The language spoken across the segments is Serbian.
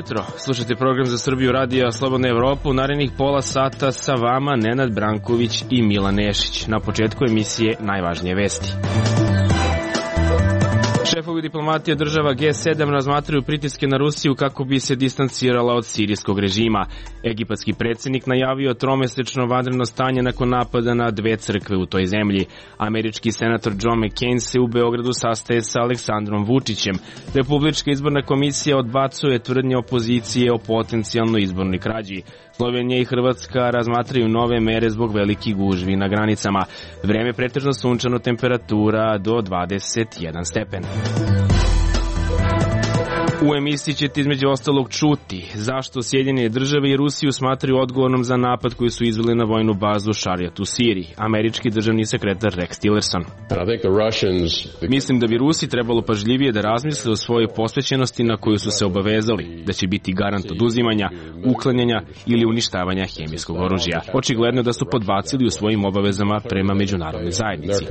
ujutro, slušajte program za Srbiju radija Slobodna Evropa. U narednih pola sata sa vama Nenad Branković i Milan Nešić. Na početku emisije najvažnije vesti. Šefovi diplomatije država G7 razmatraju pritiske na Rusiju kako bi se distancirala od sirijskog režima. Egipatski predsjednik najavio tromesečno vanredno stanje nakon napada na dve crkve u toj zemlji. Američki senator John McCain se u Beogradu sastaje sa Aleksandrom Vučićem. Republička izborna komisija odbacuje tvrdnje opozicije o potencijalnoj izbornoj krađi. Slovenija i Hrvatska razmatraju nove mere zbog velikih gužvi na granicama. Vreme pretežno sunčano, temperatura do 21 stepen. U emisiji ćete između ostalog čuti zašto Sjedinjene države i Rusiju smatraju odgovornom za napad koji su izveli na vojnu bazu Šarijat u Siriji. Američki državni sekretar Rex Tillerson. Mislim da bi Rusi trebalo pažljivije da razmisle o svojoj posvećenosti na koju su se obavezali, da će biti garant oduzimanja, uklanjanja ili uništavanja hemijskog oružja. Očigledno da su podbacili u svojim obavezama prema međunarodnoj zajednici.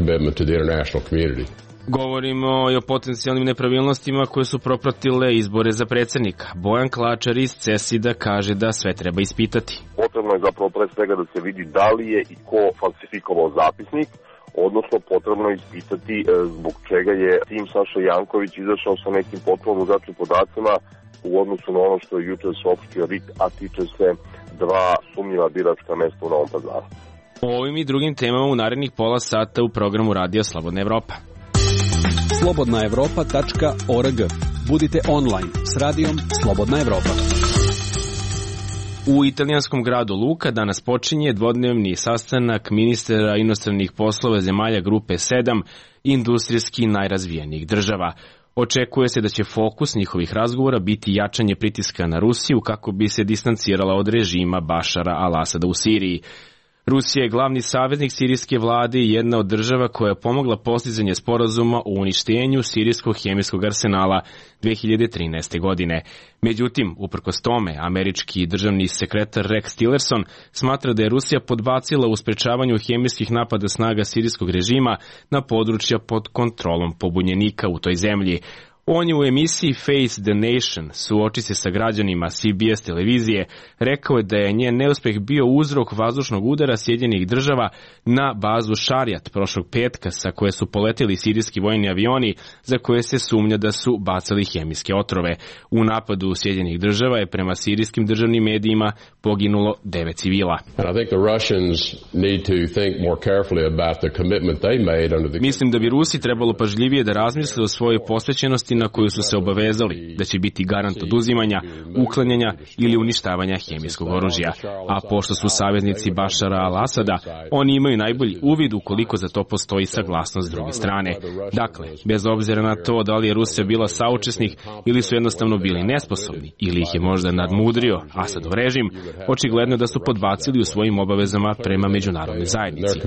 Govorimo i o potencijalnim nepravilnostima koje su propratile izbore za predsjednika. Bojan Klačar iz CESID-a kaže da sve treba ispitati. Potrebno je zapravo pre svega da se vidi da li je i ko falsifikovao zapisnik, odnosno potrebno je ispitati zbog čega je tim Saša Janković izašao sa nekim potpuno drugačijim podacima u odnosu na ono što je juče saopštio RIK, a tiče se dva sumnjiva biračka mesta u Novom Pazaru. O ovim i drugim temama u narednih pola sata u programu Radija Slobodna Evropa. slobodnaevropa.org. Budite online s radijom Slobodna Evropa. U italijanskom gradu Luka danas počinje dvodnevni sastanak ministara inostranih poslova zemalja grupe 7 industrijski najrazvijenijih država. Očekuje se da će fokus njihovih razgovora biti jačanje pritiska na Rusiju kako bi se distancirala od režima Bašara al-Asada u Siriji. Rusija je glavni saveznik sirijske vlade i jedna od država koja je pomogla postizanje sporazuma o uništenju sirijskog hemijskog arsenala 2013. godine. Međutim, uprkos tome, američki državni sekretar Rex Tillerson smatra da je Rusija podbacila u sprečavanju hemijskih napada snaga sirijskog režima na područja pod kontrolom pobunjenika u toj zemlji. On je u emisiji Face the Nation, suoči se sa građanima CBS televizije, rekao je da je njen neuspeh bio uzrok vazdušnog udara Sjedinjenih država na bazu Šarijat prošlog petka sa koje su poleteli sirijski vojni avioni za koje se sumnja da su bacali hemijske otrove. U napadu Sjedinjenih država je prema sirijskim državnim medijima poginulo 9 civila. Mislim da bi Rusi trebalo pažljivije da razmisle o svojoj posvećenosti na koju su se obavezali, da će biti garant oduzimanja, uklanjanja ili uništavanja hemijskog oružja. A pošto su saveznici Bašara al-Asada, oni imaju najbolji uvid ukoliko za to postoji saglasnost s druge strane. Dakle, bez obzira na to da li je Rusija bila saučesnik ili su jednostavno bili nesposobni ili ih je možda nadmudrio Asadov režim, očigledno da su podbacili u svojim obavezama prema međunarodnoj zajednici.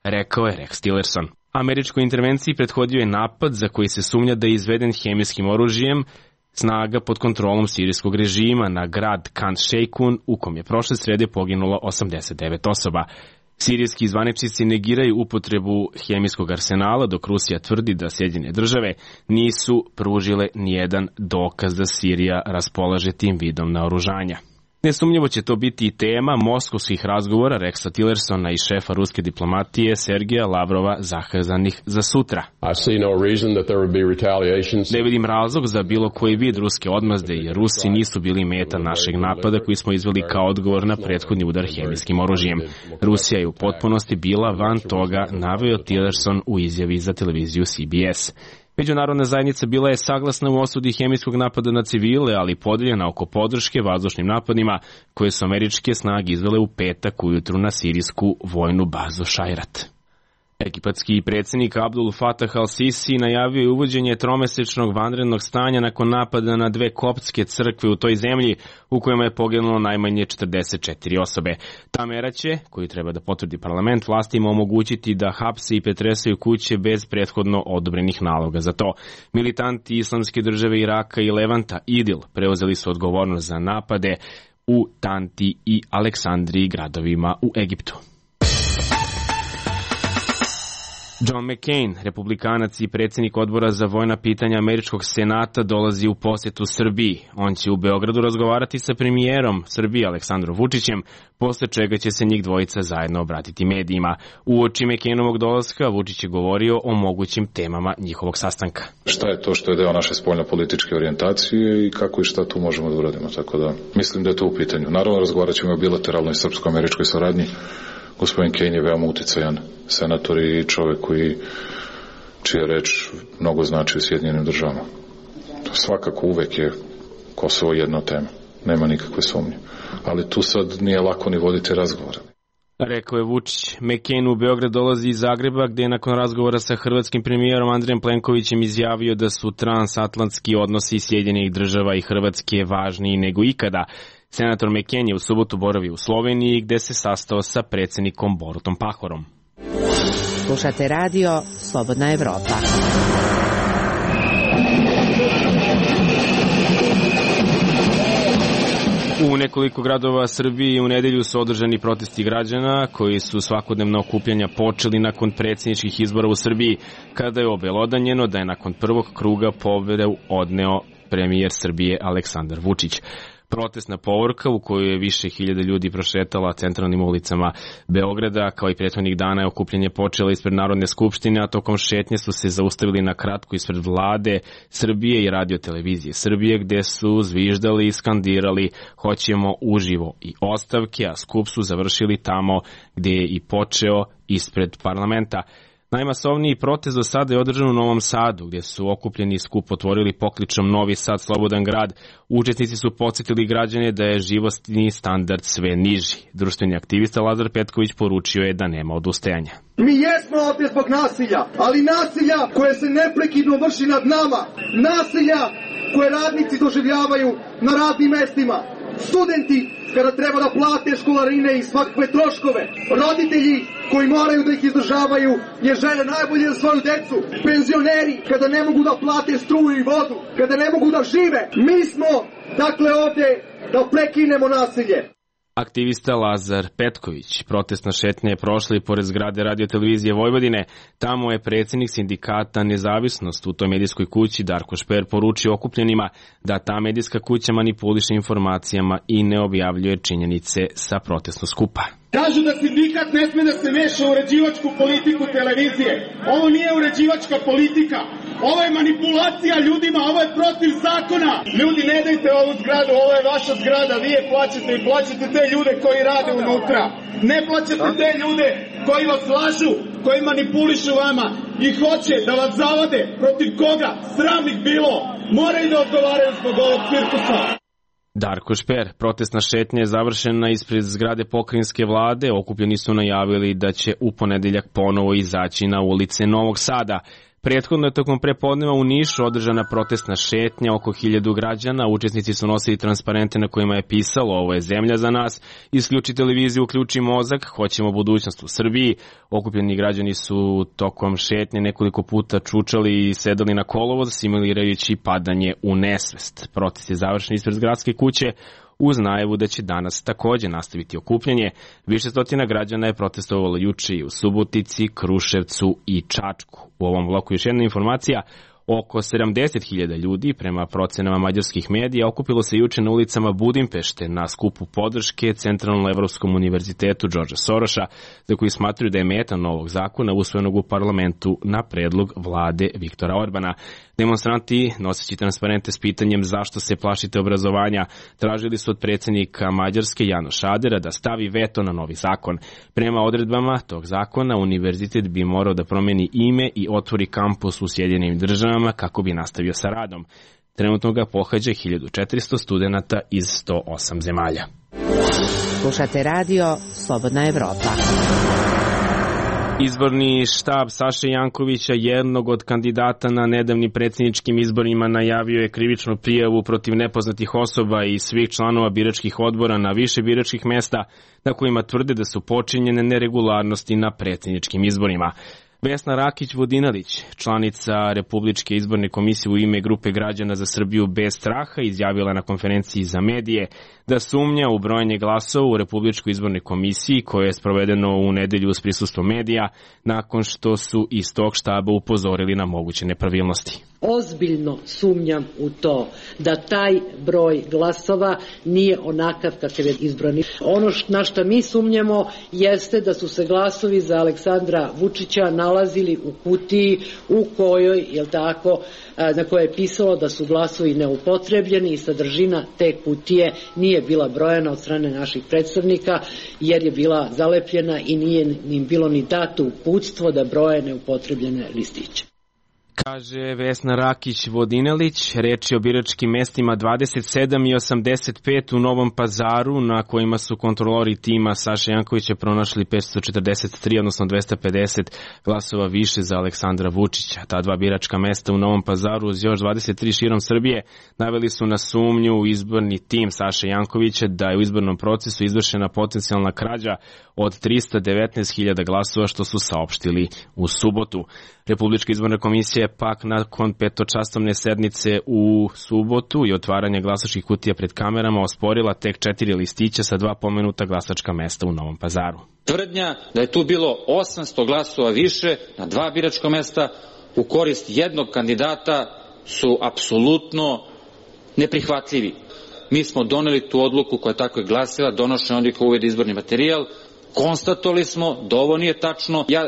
Rekao je Rex Tillerson. Američkoj intervenciji prethodio je napad za koji se sumnja da je izveden hemijskim oružjem snaga pod kontrolom sirijskog režima na grad Khan Sheikhoun u kom je prošle srede poginulo 89 osoba. Sirijski zvaničnici negiraju upotrebu hemijskog arsenala, dok Rusija tvrdi da Sjedinjene države nisu pružile nijedan dokaz da Sirija raspolaže tim vidom naoružanja. Nesumnjivo će to biti i tema moskovskih razgovora Rexa Tillersona i šefa ruske diplomatije Sergeja Lavrova zakazanih za sutra. Ne vidim razlog za bilo koji vid ruske odmazde jer Rusi nisu bili meta našeg napada koji smo izveli kao odgovor na prethodni udar hemijskim oružjem. Rusija je u potpunosti bila van toga, naveo Tillerson u izjavi za televiziju CBS. Međunarodna zajednica bila je saglasna u osudi hemijskog napada na civile, ali podeljena oko podrške vazdušnim napadima koje su američke snage izvele u petak ujutru na sirijsku vojnu bazu Šajrat. Egipatski predsjednik Abdul Fatah al-Sisi najavio je uvođenje tromesečnog vanrednog stanja nakon napada na dve koptske crkve u toj zemlji u kojima je poginulo najmanje 44 osobe. Ta mera će, koju treba da potvrdi parlament, vlastima omogućiti da hapse i pretresaju kuće bez prethodno odobrenih naloga za to. Militanti Islamske države Iraka i Levanta IDIL preuzeli su odgovornost za napade u Tanti i Aleksandriji gradovima u Egiptu. John McCain, republikanac i predsjednik odbora za vojna pitanja Američkog senata, dolazi u posjetu Srbiji. On će u Beogradu razgovarati sa premijerom Srbije Aleksandrom Vučićem, posle čega će se njih dvojica zajedno obratiti medijima. Uoči McCainovog dolaska Vučić je govorio o mogućim temama njihovog sastanka. Šta je to što je deo naše spoljnopolitičke orijentacije i kako i šta tu možemo da uradimo, tako da mislim da je to u pitanju. Naravno, razgovarat ćemo o bilateralnoj srpsko-američkoj saradnji. Gospodin Kane je veoma uticajan senator i čovek čija reč mnogo znači u Sjedinjenim državama. Svakako uvek je Kosovo jedna od tema, nema nikakve sumnje. Ali tu sad nije lako ni voditi razgovore. Rekao je Vučić. McCain u Beograd dolazi iz Zagreba, gde je nakon razgovora sa hrvatskim premijerom Andrejem Plenkovićem izjavio da su transatlantski odnosi Sjedinjenih država i Hrvatske važniji nego ikada. Senator McCain je u subotu boravio u Sloveniji, gde se sastao sa predsjednikom Borutom Pahorom. Slušate radio Slobodna Evropa. U nekoliko gradova Srbije u nedelju su održani protesti građana koji su svakodnevna okupljanja počeli nakon predsjedničkih izbora u Srbiji, kada je obelodanjeno da je nakon prvog kruga pobedu odneo premijer Srbije Aleksandar Vučić. Protestna povorka u kojoj je više hiljada ljudi prošetala centralnim ulicama Beograda, kao i prethodnih dana je okupljanje počelo ispred Narodne skupštine, a tokom šetnje su se zaustavili na kratko ispred vlade Srbije i radio televizije Srbije, gde su zviždali i skandirali hoćemo uživo i ostavke, a skup su završili tamo gde je i počeo, ispred parlamenta. Najmasovniji protest do sada je održan u Novom Sadu, gdje su okupljeni skup otvorili pokličom Novi Sad, slobodan grad. Učesnici su podsjetili građane da je životni standard sve niži. Društveni aktivista Lazar Petković poručio je da nema odustajanja. Mi jesmo ovdje zbog nasilja, ali nasilja koje se neprekidno vrši nad nama. Nasilja koje radnici doživljavaju na radnim mestima. Studenti kada treba da plate školarine i svakakve troškove. Roditelji koji moraju da ih izdržavaju jer žele najbolje za svoju decu. Penzioneri kada ne mogu da plate struju i vodu, kada ne mogu da žive. Mi smo dakle ovdje da prekinemo nasilje. Aktivista Lazar Petković. Protestna šetnja je prošla i pored zgrade Radio televizije Vojvodine. Tamo je predsjednik sindikata Nezavisnost u toj medijskoj kući Darko Šper poručio okupljenima da ta medijska kuća manipuliše informacijama i ne objavljuje činjenice sa protestnog skupa. Kažu da sindikat ne sme da se meša u uređivačku politiku televizije. Ovo nije uređivačka politika. Ovo je manipulacija ljudima, ovo je protiv zakona. Ljudi, ne dajte ovu zgradu, ovo je vaša zgrada, vi je plaćate i plaćate te ljude koji rade unutra. Ne plaćate te ljude koji vas lažu, koji manipulišu vama i hoće da vas zavade. Protiv koga? Sram ih bilo. Moraju da odgovaraju zbog ovog cirkusa. Darko Šper. Protestna šetnja je završena ispred zgrade pokrajinske vlade. Okupljeni su najavili da će u ponedeljak ponovo izaći na ulice Novog Sada. Prethodno je tokom prepodneva u Nišu održana protestna šetnja, oko 1000 građana. Učesnici su nosili transparente na kojima je pisalo ovo je zemlja za nas, isključi televiziju, uključi mozak, hoćemo budućnost u Srbiji. Okupljeni građani su tokom šetnje nekoliko puta čučali i sedali na kolovoz, simulirajući padanje u nesvest. Protest je završen ispred gradske kuće, uz najavu da će danas takođe nastaviti okupljanje. Više stotina građana je protestovalo juče i u Subotici, Kruševcu i Čačku. U ovom bloku još jedna informacija. Oko 70.000 ljudi, prema procenama mađarskih medija, okupilo se juče na ulicama Budimpešte na skupu podrške Centralno-Evropskom univerzitetu Đorđa Soroša, za koji smatruju da je meta novog zakona usvojenog u parlamentu na predlog vlade Viktora Orbana. Demonstranti, noseći transparente s pitanjem zašto se plašite obrazovanja, tražili su od predsjednika Mađarske Janoša Adera da stavi veto na novi zakon. Prema odredbama tog zakona, univerzitet bi morao da promeni ime i otvori kampus u Sjedinjenim državama kako bi nastavio sa radom. Trenutno ga pohađa 1400 studenata iz 108 zemalja. Slušate radio Slobodna Evropa. Izborni štab Saše Jankovića, jednog od kandidata na nedavnim predsjedničkim izborima, najavio je krivičnu prijavu protiv nepoznatih osoba i svih članova biračkih odbora na više biračkih mesta na kojima tvrde da su počinjene neregularnosti na predsjedničkim izborima. Vesna Rakić-Vodinelić, članica Republičke izborne komisije u ime Grupe građana za Srbiju bez straha, izjavila na konferenciji za medije da sumnja u brojanje glasova u Republičkoj izbornoj komisiji koje je sprovedeno u nedelju uz prisustvo medija nakon što su iz tog štaba upozorili na moguće nepravilnosti. Ozbiljno sumnjam u to da taj broj glasova nije onakav kakav je izbrani. Ono na što mi sumnjamo jeste da su se glasovi za Aleksandra Vučića nalazili u kutiji u kojoj, na kojoj je pisalo da su glasovi neupotrebljeni i sadržina te kutije nije bila brojana od strane naših predstavnika jer je bila zalepljena i nije im bilo ni dato uputstvo da broje neupotrebljene listiće. Kaže Vesna Rakić-Vodinelić, reč je o biračkim mestima 27 i 85 u Novom Pazaru, na kojima su kontrolori tima Saše Jankovića pronašli 543, odnosno 250 glasova više za Aleksandra Vučića. Ta dva biračka mesta u Novom Pazaru uz još 23 širom Srbije naveli su na sumnju u izborni tim Saše Jankovića da je u izbornom procesu izvršena potencijalna krađa od 319.000 glasova, što su saopštili u subotu. Republička izborna komisija je pak nakon petočasovne sednice u subotu i otvaranja glasačkih kutija pred kamerama osporila tek 4 listića sa 2 pomenuta glasačka mesta u Novom Pazaru. Tvrdnja da je tu bilo 800 glasova više na 2 biračka mesta u korist jednog kandidata su apsolutno neprihvatljivi. Mi smo doneli tu odluku koja tako je glasila, donošenje odluka u uvede izborni materijal, konstatovali smo da ovo nije tačno. Ja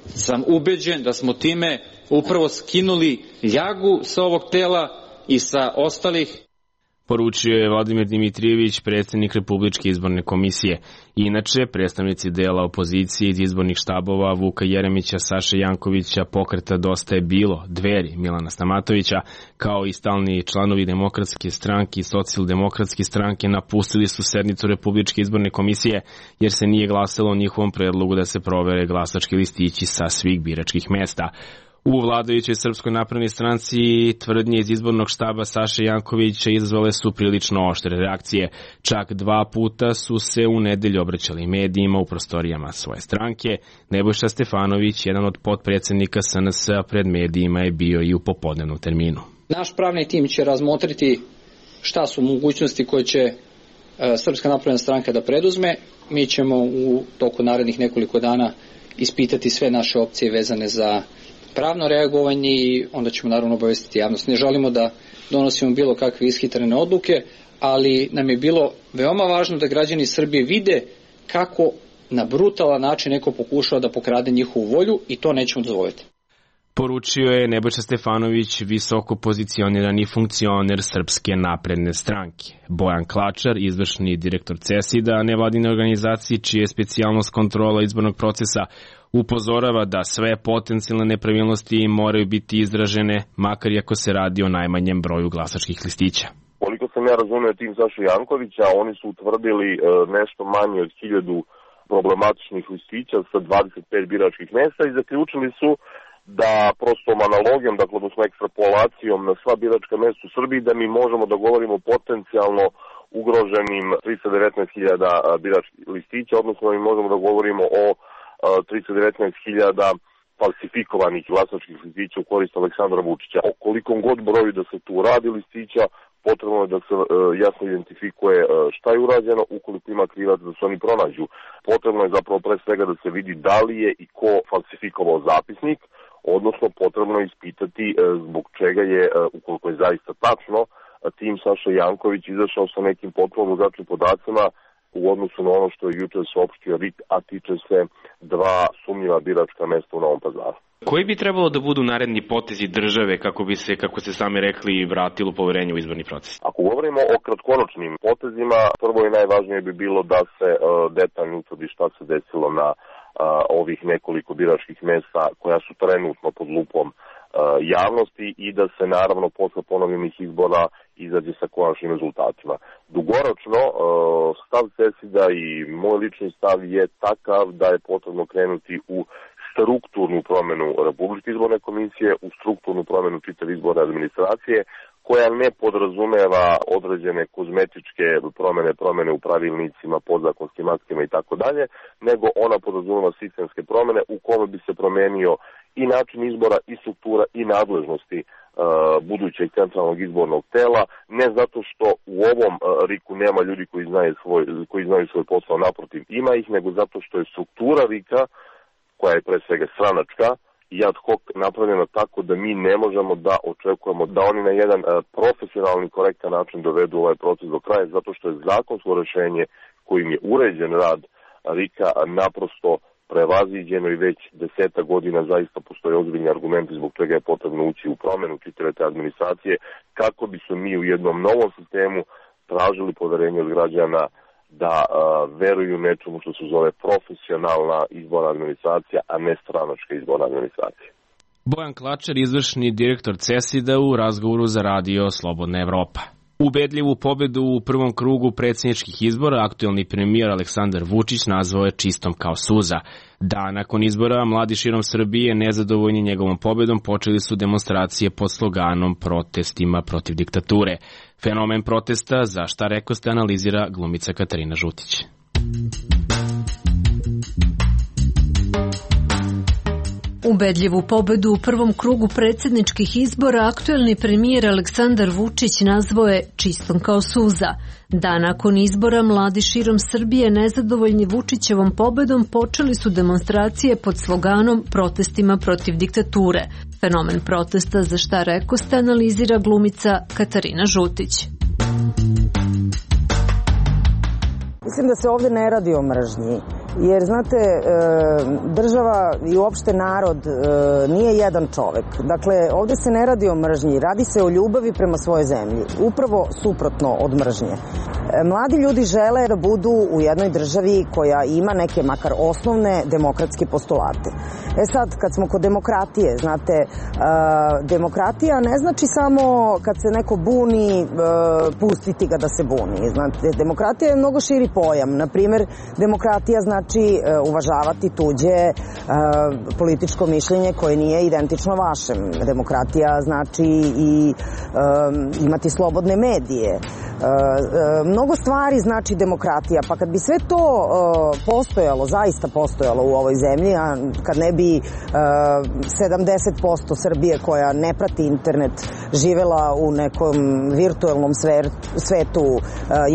sam ubeđen da smo time upravo skinuli ljagu sa ovog tela i sa ostalih. Poručio je Vladimir Dimitrijević, predsjednik Republičke izborne komisije. Inače, predstavnici dela opozicije iz izbornih štabova Vuka Jeremića, Saše Jankovića, Pokreta Dosta je bilo, Dveri Milana Stamatovića, kao i stalni članovi Demokratske stranke i Socijaldemokratske stranke napustili su sednicu Republičke izborne komisije jer se nije glasalo o njihovom predlogu da se provere glasački listići sa svih biračkih mesta. U vladajućoj Srpskoj naprednoj stranci tvrdnje iz izbornog štaba Saše Jankovića izazvale su prilično oštre reakcije. Čak 2 puta su se u nedelju obraćali medijima u prostorijama svoje stranke. Nebojša Stefanović, jedan od potpredsjednika SNS-a, pred medijima je bio i u popodnevnom terminu. Naš pravni tim će razmotriti šta su mogućnosti koje će Srpska napredna stranka da preduzme. Mi ćemo u toku narednih nekoliko dana ispitati sve naše opcije vezane za pravno reagovanje i onda ćemo naravno obavestiti javnost. Ne želimo da donosimo bilo kakve ishitrene odluke, ali nam je bilo veoma važno da građani Srbije vide kako na brutalan način neko pokušava da pokrade njihovu volju i to nećemo dozvoliti. Poručio je Nebojša Stefanović, visoko pozicionirani funkcioner Srpske napredne stranke. Bojan Klačar, izvršni direktor CESID-a, nevladine organizacije čija je specijalnost kontrola izbornog procesa, upozorava da sve potencijalne nepravilnosti moraju biti izražene, makar i ako se radi o najmanjem broju glasačkih listića. Koliko sam ja razumio tim Saše Jankovića, oni su utvrdili nešto manje od 1000 problematičnih listića sa 25 biračkih mesta i zaključili su da prostom analogijom, dakle odnosno ekstrapolacijom na sva biračka mesta u Srbiji, da mi možemo da govorimo potencijalno ugroženim 319.000 biračkih listića, odnosno mi možemo da govorimo o 319.000 falsifikovanih glasačkih listića u korist Aleksandra Vučića. O kolikom god broju da se tu radi listića, potrebno je da se jasno identifikuje šta je urađeno, ukoliko ima krivac da se oni pronađu. Potrebno je zapravo pre svega da se vidi da li je i ko falsifikovao zapisnik, odnosno potrebno je ispitati zbog čega je, ukoliko je zaista tačno, tim Saša Janković izašao sa nekim potpuno drugačijim podacima u odnosu na ono što je juče saopštio RIK, a tiče se 2 sumnjiva biračka mesta u Novom Pazaru. Koji bi trebalo da budu naredni potezi države kako bi se, kako ste sami rekli, vratilo poverenje u izborni proces? Ako govorimo o kratkoročnim potezima, prvo i najvažnije bi bilo da se detaljno utvrdi šta se desilo na ovih nekoliko biračkih mesta koja su trenutno pod lupom javnosti i da se naravno posle ponovljenih izbora izađe sa konačnim rezultatima. Dugoročno, stav CESID-a i moj lični stav je takav da je potrebno krenuti u strukturnu promenu Republičke izborne komisije, u strukturnu promenu čitave izborne administracije, koja ne podrazumeva određene kozmetičke promene u pravilnicima, podzakonskim aktima i tako dalje, nego ona podrazumeva sistemske promene u kome bi se promenio i način izbora, i struktura, i nadležnosti budućeg centralnog izbornog tela, ne zato što u ovom RIK-u nema ljudi koji znaju svoj posao, naprotiv ima ih, nego zato što je struktura RIK-a, koja je pre svega stranačka i ad hoc napravljena tako da mi ne možemo da očekujemo da oni na jedan profesionalni, korektan način dovedu ovaj proces do kraja, zato što je zakonsko rešenje kojim je uređen rad RIK-a naprosto prevaziđeno i već 10 godina zaista postoje ozbiljni argumenti zbog čega je potrebno ući u promenu čitave te administracije, kako bi su mi u jednom novom sistemu tražili poverenje od građana da veruju nečemu što se zove profesionalna izborna administracija, a ne stranačka izborna administracija. Bojan Klačar, izvršni direktor CESID-a, u razgovoru za radio Slobodna Evropa. Ubedljivu pobedu u prvom krugu predsjedničkih izbora aktuelni premijer Aleksandar Vučić nazvao je čistom kao suza. Dan nakon izbora mladi širom Srbije, nezadovoljni njegovom pobedom, počeli su demonstracije pod sloganom protestima protiv diktature. Fenomen protesta, za šta rekoste, analizira glumica Katarina Žutić. Ubedljivu pobedu u prvom krugu predsjedničkih izbora aktuelni premijer Aleksandar Vučić nazvao je čistom kao suza. Dan nakon izbora mladi širom Srbije, nezadovoljni Vučićevom pobedom, počeli su demonstracije pod sloganom protestima protiv diktature. Fenomen protesta, za šta rekoste, analizira glumica Katarina Žutić. Mislim da se ovdje ne radi o mržnji, jer znate, država i uopšte narod nije jedan čovek. Dakle, ovdje se ne radi o mržnji, radi se o ljubavi prema svojoj zemlji, upravo suprotno od mržnje. Mladi ljudi žele da budu u jednoj državi koja ima neke makar osnovne demokratske postulate. E sad, kad smo kod demokratije, znate, demokratija ne znači samo kad se neko buni, pustiti ga da se buni. Znate, demokratija je mnogo širi pojam. Naprimjer, demokratija znači uvažavati tuđe političko mišljenje koje nije identično vašem. Demokratija znači i imati slobodne medije. Mnogo stvari znači demokratija, pa kad bi sve to postojalo, zaista postojalo u ovoj zemlji, a kad ne bi 70% Srbije koja ne prati internet živela u nekom virtualnom svetu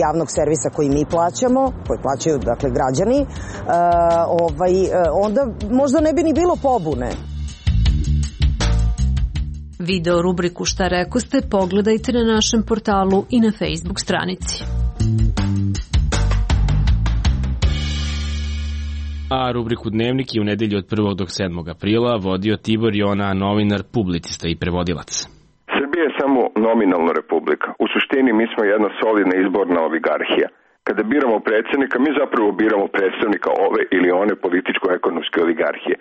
javnog servisa koji mi plaćamo, koji plaćaju dakle građani, onda možda ne bi ni bilo pobune. Video rubriku Šta rekoste pogledajte na našem portalu i na Facebook stranici. A rubriku Dnevnik je u nedelju od 1. do 7. aprila vodio Tibor Jona, novinar, publicista i prevodilac. Srbija je samo nominalna republika. U suštini mi smo jedna solidna izborna oligarhija. Kada biramo predsjednika, mi zapravo biramo predstavnika ove ili one političko-ekonomske oligarhije.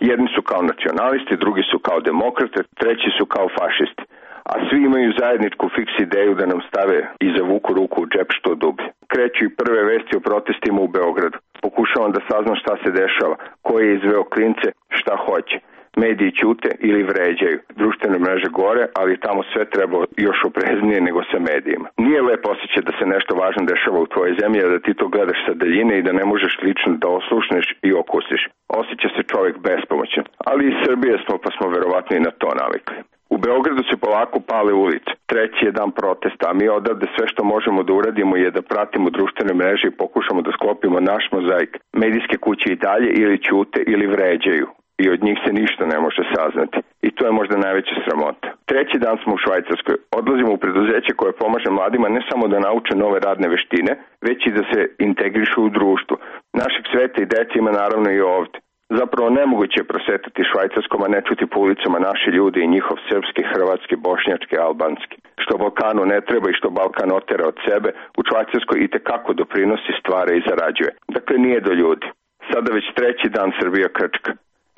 Jedni su kao nacionalisti, drugi su kao demokrate, treći su kao fašisti. A svi imaju zajedničku fiks ideju da nam stave i zavuku ruku u džep što dublje. Kreću i prve vesti o protestima u Beogradu. Pokušavam da saznam šta se dešava, ko je izveo klince, šta hoće. Mediji ćute ili vređaju. Društvene mreže gore, ali tamo sve treba još opreznije nego sa medijima. Nije lepo osjećaj da se nešto važno dešava u tvojoj zemlji, a da ti to gledaš sa daljine i da ne možeš lično da oslušneš i okusiš. Osjeća se čovjek bespomoćan. Ali iz Srbije smo, pa smo verovatno i na to navikli. U Beogradu se polako pale ulice. Treći je dan protesta, a mi odavde sve što možemo da uradimo je da pratimo društvene mreže i pokušamo da sklopimo naš mozaik. Medijske kuće i dalje ili ćute ili vređaju. I od njih se ništa ne može saznati. I to je možda najveća sramota. Treći dan smo u Švajcarskoj. Odlazimo u preduzeće koje pomaže mladima ne samo da nauče nove radne veštine, već i da se integrišu u društvo. Našeg sveta i dece ima naravno i ovdje. Zapravo nemoguće je prosetati Švajcarskom, a ne čuti po ulicama naši ljudi i njihov srpski, hrvatski, bošnjački, albanski. Što Balkanu ne treba i što Balkan otera od sebe, u Švajcarskoj itekako doprinosi, stvara i zarađuje. Dakle, nije do ljudi. Sada već treći dan Srbija krčka.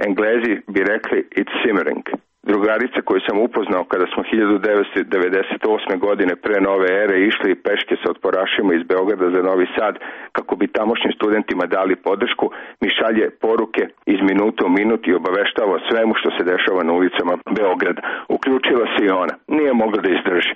Englezi bi rekli it's simmering. Drugarica koju sam upoznao kada smo 1998. godine pre nove ere išli peške sa otporašima iz Beograda za Novi Sad kako bi tamošnjim studentima dali podršku, mi šalje poruke iz minuta u minut i obaveštava o svemu što se dešava na ulicama Beograda. Uključila se i ona. Nije mogla da izdrži.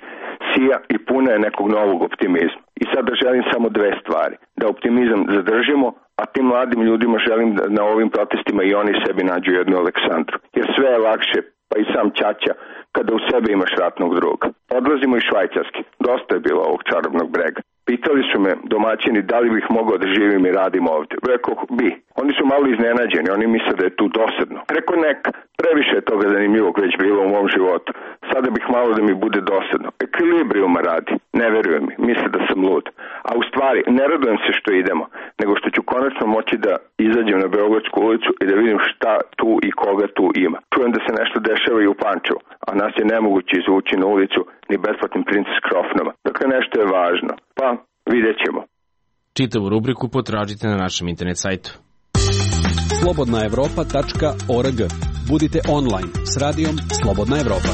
Sija i puna je nekog novog optimizma. I sada želim samo dve stvari. Da optimizam zadržimo, a tim mladim ljudima želim da na ovim protestima i oni sebi nađu jednu Aleksandru. Jer sve je lakše, pa i sam ćaća, kada u sebi imaš ratnog druga. Odlazimo iz Švajcarske. Dosta je bilo ovog čarobnog brega. Pitali su me domaćini da li bih mogao da živim i radim ovde. Rekao bi. Oni su malo iznenađeni, oni misle da je tu dosadno. Rekao neka, previše je toga zanimljivog već bilo u mom životu. Sada bih malo da mi bude dosadno. Ekvilibrijuma radi. Ne verujem mi, misle da sam lud. A u stvari, ne radujem se što idemo, nego što ću konačno moći da izađem na Beogradsku ulicu i da vidim šta tu i koga tu ima. Čujem da se nešto dešava i u Pančevu, a nas je nemoguće izvući na ulicu ni besplatnim Princess Krofnama. Dakle, nešto je važno. Pa, vidjet ćemo. Čitavu rubriku potražite na našem internet sajtu. slobodnaevropa.org. Budite online s radijom Slobodna Evropa.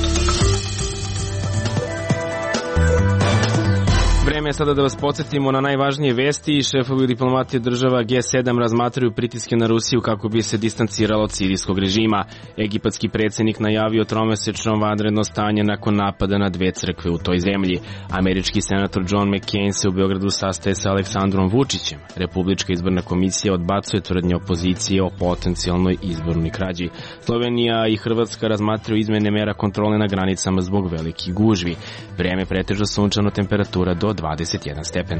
Vreme je sada da vas podsjetimo na najvažnije vesti. Šefovi diplomatije država G7 razmatraju pritiske na Rusiju kako bi se distanciralo od sirijskog režima. Egipatski predsjednik najavio tromesečno vanredno stanje nakon napada na dve crkve u toj zemlji. Američki senator John McCain se u Beogradu sastaje sa Aleksandrom Vučićem. Republička izborna komisija odbacuje tvrdnje opozicije o potencijalnoj izbornoj krađi. Slovenija i Hrvatska razmatraju izmene mera kontrole na granicama zbog velikih gužvi. Vreme pretežno sunčano, temperatura do 21 stepen.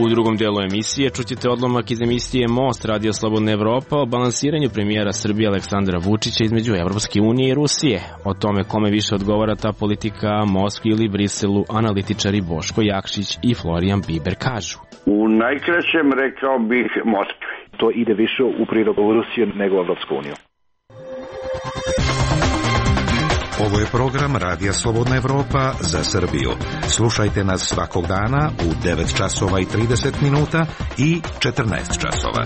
U drugom delu emisije čućete odlomak iz emisije Most Radio Slobodna Evropa o balansiranju premijera Srbije Aleksandra Vučića između Evropske unije i Rusije. O tome kome više odgovara ta politika Moskvi ili Briselu, analitičari Boško Jakšić i Florijan Biber kažu. U najkraćem rekao bih Moskvi. To ide više u prilog Rusije nego Evropsku uniju. Ovo je program Radija Slobodna Evropa za Srbiju. Slušajte nas svakog dana u 9 časova i 30 minuta i 14 časova.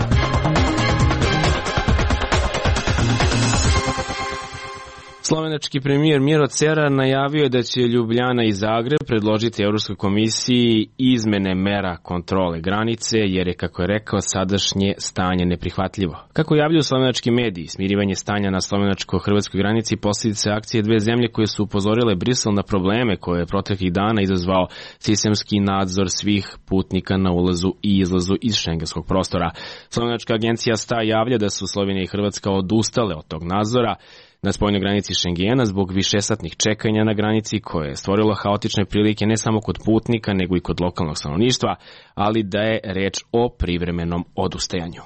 Slovenački premijer Miro Cerar najavio je da će Ljubljana i Zagreb predložiti Evropskoj komisiji izmene mera kontrole granice, jer je, kako je rekao, sadašnje stanje neprihvatljivo. Kako javljaju slovenački mediji, smirivanje stanja na slovenačko-hrvatskoj granici posljedice akcije dve zemlje koje su upozorile Brisel na probleme koje je proteklih dana izazvao sistemski nadzor svih putnika na ulazu i izlazu iz šengenskog prostora. Slovenačka agencija STA javlja da su Slovenija i Hrvatska odustale od tog nadzora na spoljnoj granici Šengena zbog višesatnih čekanja na granici koje je stvorilo haotične prilike ne samo kod putnika nego i kod lokalnog stanovništva, ali da je reč o privremenom odustajanju.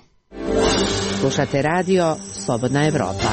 Slušate radio Slobodna Evropa.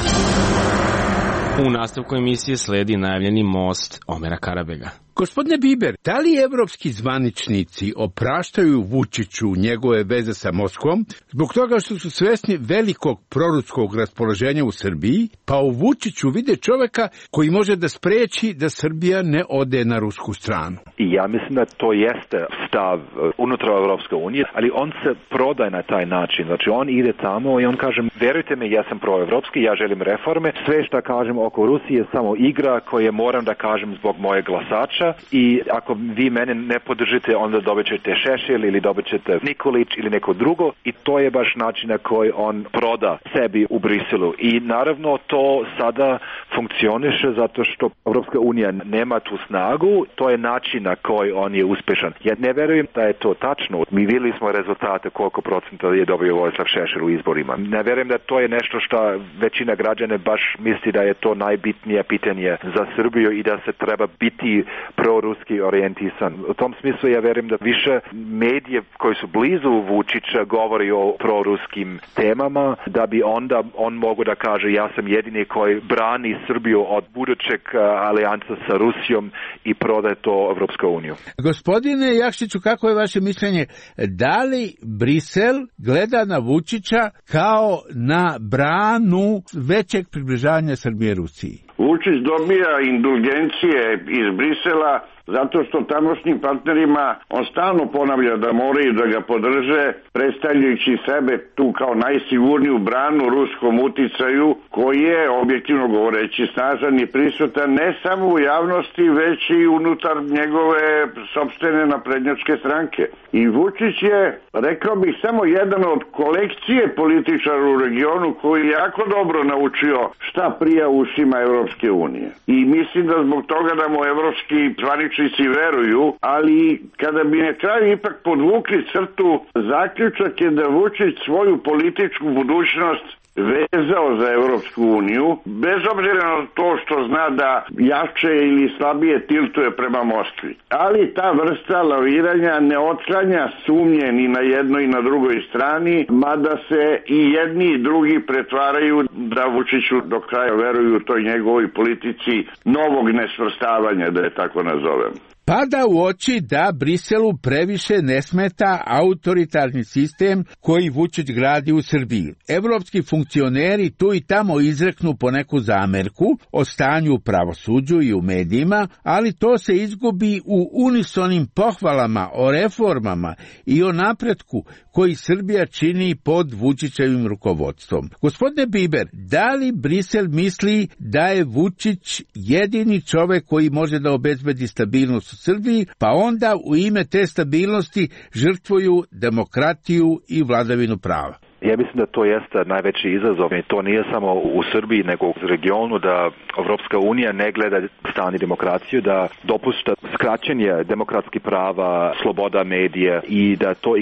U nastavku emisije sledi najavljeni most Omera Karabega. Gospodine Biber, da li evropski zvaničnici opraštaju Vučiću njegove veze sa Moskvom zbog toga što su svesni velikog proruskog raspoloženja u Srbiji, pa u Vučiću vide čoveka koji može da spreči da Srbija ne ode na rusku stranu? I ja mislim da to jeste stav unutar Evropske unije, ali on se prodaje na taj način. Znači on ide tamo i on kaže, verujte mi, ja sam proevropski, ja želim reforme, sve što kažem oko Rusije je samo igra koje moram da kažem zbog moje glasača. I ako vi mene ne podržite, onda dobit ćete Šešelj ili dobit ćete Nikolić ili neko drugo i to je baš način na koji on proda sebi u Briselu. I naravno to sada funkcioniše zato što Evropska unija nema tu snagu, to je način na koji on je uspešan. Ja ne verujem da je to tačno. Mi vidjeli smo rezultate koliko procenta je dobio Vojislav Šešelj u izborima. Ne verujem da to je nešto što većina građana baš misli da je to najbitnije pitanje za Srbiju i da se treba biti proruski orijentisan. U tom smislu ja verujem da više medije koji su blizu Vučića govori o proruskim temama, da bi onda on mogu da kaže ja sam jedini koji brani Srbiju od budućeg alijansa sa Rusijom i prodaje to Evropsku uniju. Gospodine Jakšiću, kako je vaše mišljenje? Da li Brisel gleda na Vučića kao na branu većeg približavanja Srbije Rusiji? Vučić dobija indulgencije iz Brisela zato što tamošnjim partnerima on stalno ponavlja da moraju da ga podrže, predstavljajući sebe tu kao najsigurniju branu ruskom uticaju, koji je, objektivno govoreći, snažan i prisutan ne samo u javnosti, već i unutar njegove sopstvene naprednjačke stranke. I Vučić je, rekao bih, samo jedan od kolekcije političara u regionu koji je jako dobro naučio šta prija ušima Evropske unije. I mislim da zbog toga da mu evropski zvaničnici veruju, ali kada bi na kraju ipak podvukli crtu, zaključak je da Vučić svoju političku budućnost vezao za Evropsku uniju, bez obzira na to što zna da jače ili slabije tiltuje prema Moskvi. Ali ta vrsta laviranja ne otklanja sumnje ni na jednoj i na drugoj strani, mada se i jedni i drugi pretvaraju da Vučiću do kraja veruju toj njegovoj politici novog nesvrstavanja, da je tako nazovem. Pada u oči da Briselu previše ne smeta autoritarni sistem koji Vučić gradi u Srbiji. Evropski funkcioneri tu i tamo izreknu poneku zamerku o stanju u pravosuđu i u medijima, ali to se izgubi u unisonim pohvalama o reformama i o napretku koji Srbija čini pod Vučićevim rukovodstvom. Gospodine Biber, da li Brisel misli da je Vučić jedini čovek koji može da obezbedi stabilnost u Srbiji, pa onda u ime te stabilnosti žrtvuju demokratiju i vladavinu prava? Ja mislim da to jeste najveći izazov i to nije samo u Srbiji nego u regionu, da Evropska unija ne gleda strani demokraciju, da dopušta skraćenje demokratskih prava, sloboda medija i da to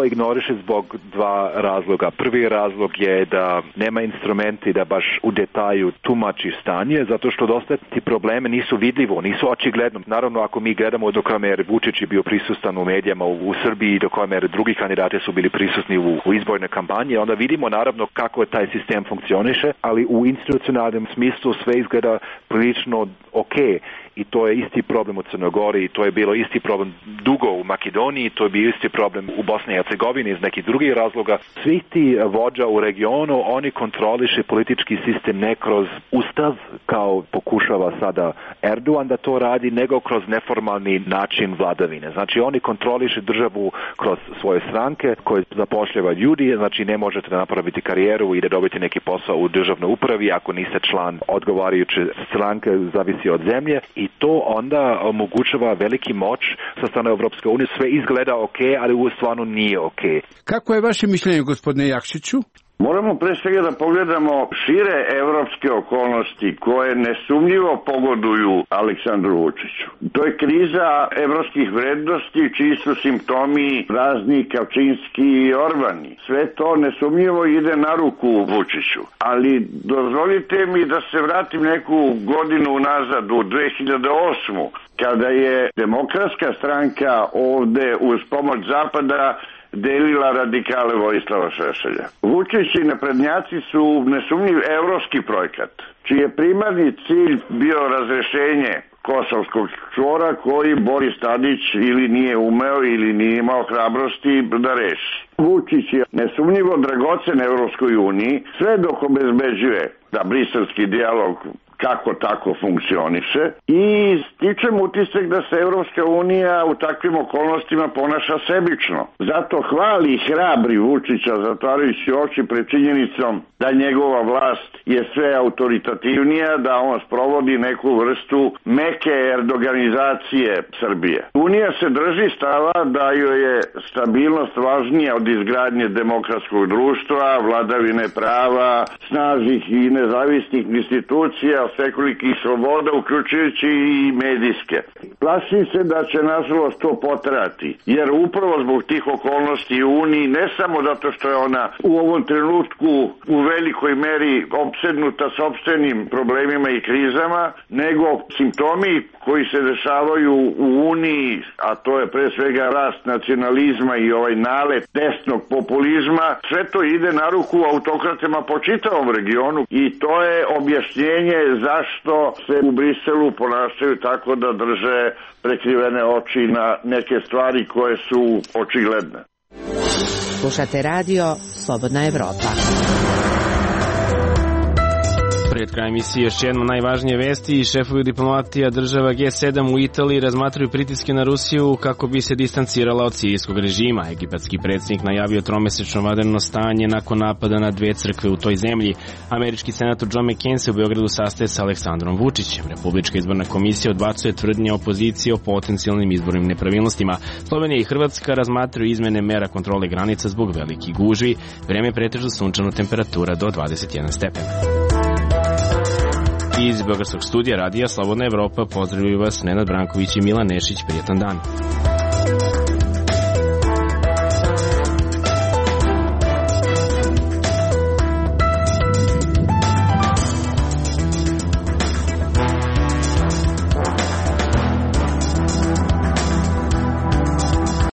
ignoriše zbog dva razloga. Prvi razlog je da nema instrumenti da baš u detalju tumači stanje, zato što dosta ti probleme nisu vidljivo, nisu očigledno. Naravno, ako mi gledamo do koje mere Vučić je bio prisutan u medijama u Srbiji, do koje mere drugi kandidati su bili prisutni u izborne kampanje, onda vidimo naravno kako taj sistem funkcioniše, ali u institucionalnom smislu sve izgleda prilično okej. I to je isti problem u Crnoj Gori, to je bilo isti problem dugo u Makedoniji, to je bio isti problem u Bosni i Hercegovini iz nekih drugih razloga. Svi ti vođa u regionu, oni kontroliše politički sistem ne kroz ustav, kao pokušava sada Erdogan da to radi, nego kroz neformalni način vladavine. Znači oni kontroliše državu kroz svoje stranke koje zapošljava ljudi, znači ne možete da napraviti karijeru i da dobiti neki posao u državnoj upravi ako niste član odgovarajuće stranke, zavisi od zemlje. I to onda omogućava veliki moć sa strane Evropske unije. Sve izgleda okej, ali u stvarno nije okej. Kako je vaše mišljenje, gospodine Jakšiću? Moramo pre svega da pogledamo šire evropske okolnosti koje nesumnjivo pogoduju Aleksandru Vučiću. To je kriza evropskih vrednosti čiji su simptomi razni Kačinski i Orbani. Sve to nesumnjivo ide na ruku Vučiću. Ali dozvolite mi da se vratim neku godinu nazad u 2008. kada je Demokratska stranka ovde uz pomoć Zapada delila radikale Vojislava Šešelja. Vučić i naprednjaci su nesumnjiv evropski projekat, čiji je primarni cilj bio razrešenje kosovskog čvora koji Boris Tadić ili nije umeo ili nije imao hrabrosti da reši. Vučić je nesumnjivo dragocen Evropskoj uniji sve dok obezbeđuje da briselski dijalog kako tako funkcioniše i stičem utisak da se Evropska unija u takvim okolnostima ponaša sebično. Zato hvali i hrabri Vučića zatvarajući oči pred činjenicom da njegova vlast je sve autoritativnija, da on sprovodi neku vrstu meke erdoganizacije Srbije. Unija se drži stava da joj je stabilnost važnija od izgradnje demokratskog društva, vladavine prava, snažnih i nezavisnih institucija, svekolikih sloboda, uključujući i medijske. Plašim se da će nažalost to potrajati, jer upravo zbog tih okolnosti u Uniji, ne samo zato što je ona u ovom trenutku u velikoj meri opsednuta sopstvenim problemima i krizama, nego simptomi koji se dešavaju u Uniji, a to je pre svega rast nacionalizma i ovaj nalet desnog populizma, sve to ide na ruku autokratama po čitavom regionu i to je objašnjenje zašto se u Briselu ponašaju tako da drže prekrivene oči na neke stvari koje su očigledne. Slušate radio Slobodna Evropa. Pred krajem emisije još jedno najvažnije vesti. Šefovi diplomatija država G7 u Italiji razmatraju pritiske na Rusiju kako bi se distancirala od sirijskog režima. Egipatski predsjednik najavio tromesečno vanredno stanje nakon napada na 2 crkve u toj zemlji. Američki senator John McCain se u Beogradu sastaje sa Aleksandrom Vučićem. Republička izborna komisija odbacuje tvrdnje opozicije o potencijalnim izbornim nepravilnostima. Slovenija i Hrvatska razmatraju izmene mera kontrole granica zbog velikih gužvi. Vreme pretežno sunčano, temperatura do 21 stepen. Iz Beogradskog studija radija Slobodna Evropa pozdravljaju vas Nenad Branković i Milan Nešić. Prijetan dan.